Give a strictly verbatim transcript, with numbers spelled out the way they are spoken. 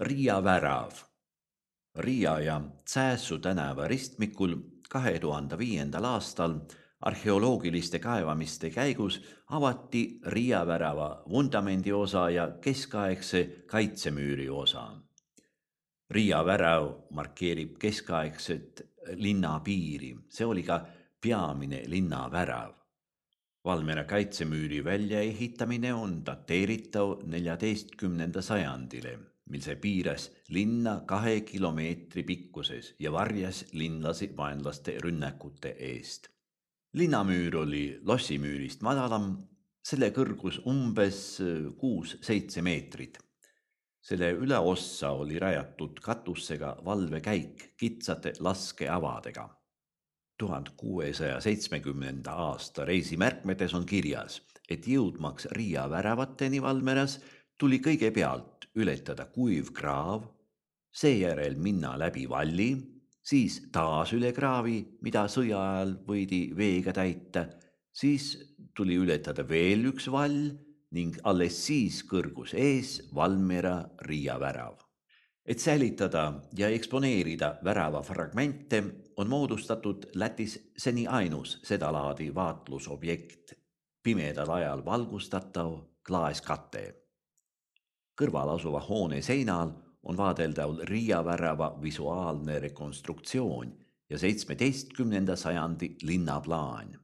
Riia värav. Riia ja Cäässu tänava ristmikul kahe tuhande viiendal aastal arheoloogiliste kaevamiste käigus avati Riia värava vundamendi osa ja keskaegse kaitsemüüri osa. Riia värav markeerib keskaegset linnapiiri, see oli ka peamine linnavärav. Valmiera kaitsemüüri väljaehitamine on dateeritav neljateistkümnenda sajandile, mil see piiras linna kahe kilomeetri pikkuses ja varjas linlasi vaenlaste rünnakute eest. Linnamüür oli lossimüürist madalam, selle kõrgus umbes kuus-seitse meetrit. Selle üleossa oli rajatud katusega valvekäik kitsate laskeavadega. tuhande kuuesaja seitsmekümnenda aasta reisimärkmetes on kirjas, et jõudmaks Riia väravateni Valmeras tuli kõigepealt ületada kuiv kraav, seejärel minna läbi valli, siis taas üle kraavi, mida sõja ajal võidi veega täita, siis tuli ületada veel üks vall ning alles siis kõrgus ees Valmiera Riia värav. Et säilitada ja eksponeerida värava fragmente, on moodustatud Lätis seni ainus sedalaadi vaatlusobjekt, pimedal ajal valgustatav klaaskate. Kõrval asuva hoone seinal on vaadeldav Riia värava visuaalne rekonstruktsioon ja seitsmeteistkümnenda sajandi linnaplaan.